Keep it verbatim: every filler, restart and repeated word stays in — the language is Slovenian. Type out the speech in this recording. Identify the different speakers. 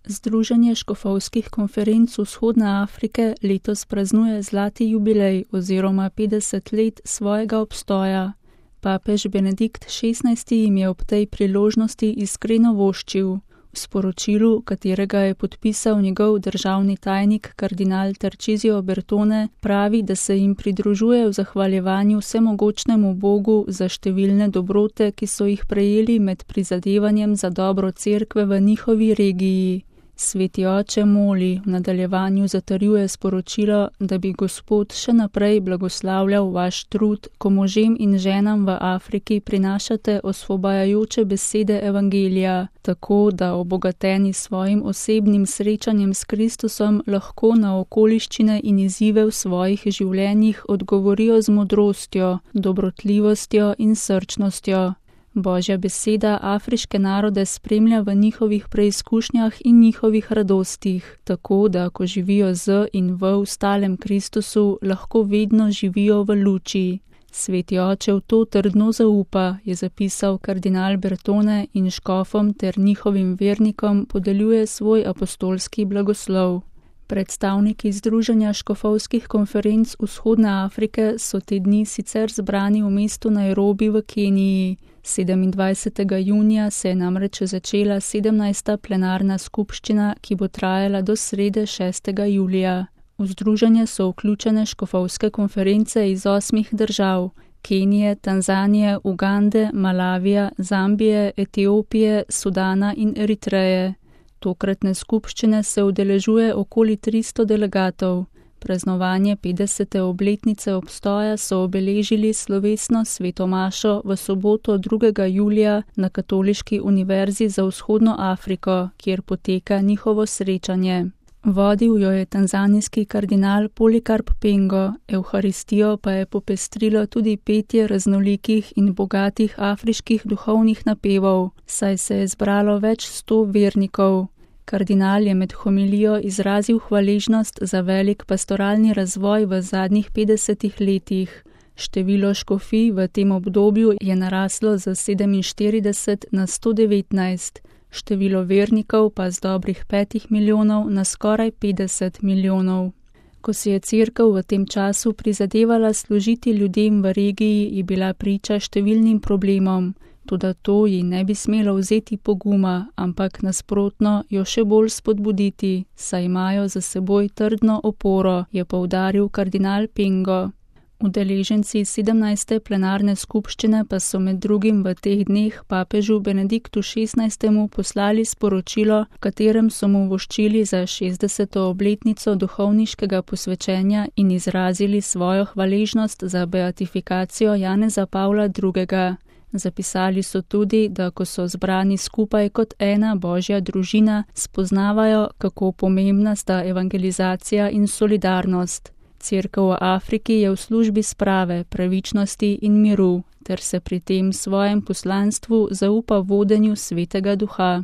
Speaker 1: Združenje škofovskih konferenc Vzhodne Afrike letos praznuje zlati jubilej oziroma petdeset let svojega obstoja. Papež Benedikt šestnajsti jim je ob tej priložnosti iskreno voščil. V sporočilu, katerega je podpisal njegov državni tajnik kardinal Tarcisio Bertone, pravi, da se jim pridružuje v zahvaljevanju vsemogočnemu Bogu za številne dobrote, ki so jih prejeli med prizadevanjem za dobro cerkve v njihovi regiji. Sveti oče moli, v nadaljevanju zatrjuje sporočilo, da bi Gospod še naprej blagoslavljal vaš trud, ko možem in ženam v Afriki prinašate osvobajajoče besede evangelija, tako da obogateni svojim osebnim srečanjem s Kristusom lahko na okoliščine in izzive v svojih življenjih odgovorijo z modrostjo, dobrotljivostjo in srčnostjo. Božja beseda afriške narode spremlja v njihovih preizkušnjah in njihovih radostih, tako da, ko živijo z in v ustalem Kristusu, lahko vedno živijo v luči. Sveti oče v to trdno zaupa, je zapisal kardinal Bertone in škofom ter njihovim vernikom podeljuje svoj apostolski blagoslov. Predstavniki Združenja škofovskih konferenc Vzhodne Afrike so te dni sicer zbrani v mestu Nairobi v Keniji. sedemindvajsetega junija se je namreč začela sedemnajsta plenarna skupščina, ki bo trajala do srede šestega julija. V združenje so vključene škofovske konference iz osmih držav: Kenije, Tanzanije, Ugande, Malavija, Zambije, Etiopije, Sudana in Eritreje. Tokratne skupščine se udeležuje okoli tristo delegatov. Praznovanje petdesete obletnice obstoja so obeležili slovesno sveto mašo v soboto drugega julija na Katoliški univerzi za Vzhodno Afriko, kjer poteka njihovo srečanje. Vodil jo je tanzanijski kardinal Polikarp Pengo, evharistijo pa je popestrilo tudi petje raznolikih in bogatih afriških duhovnih napevov, saj se je zbralo več sto vernikov. Kardinal je med homilijo izrazil hvaležnost za velik pastoralni razvoj v zadnjih petdesetih letih. Število škofij v tem obdobju je naraslo za sedeminštirideset na sto devetnajst, število vernikov pa z dobrih petih milijonov na skoraj petdeset milijonov. Ko si je cerkev v tem času prizadevala služiti ljudem v regiji, je bila priča številnim problemom. Toda to ji ne bi smelo vzeti poguma, ampak nasprotno jo še bolj spodbuditi, saj imajo za seboj trdno oporo, je poudaril kardinal Pengo. Udeleženci sedemnajste plenarne skupščine pa so med drugim v teh dneh papežu Benediktu šestnajstemu poslali sporočilo, v katerem so mu voščili za šestdeseto obletnico duhovniškega posvečenja in izrazili svojo hvaležnost za beatifikacijo Janeza Pavla drugega. Zapisali so tudi, da ko so zbrani skupaj kot ena božja družina, spoznavajo, kako pomembna sta evangelizacija in solidarnost. Cerkev v Afriki je v službi sprave, pravičnosti in miru, ter se pri tem svojem poslanstvu zaupa vodenju Svetega Duha.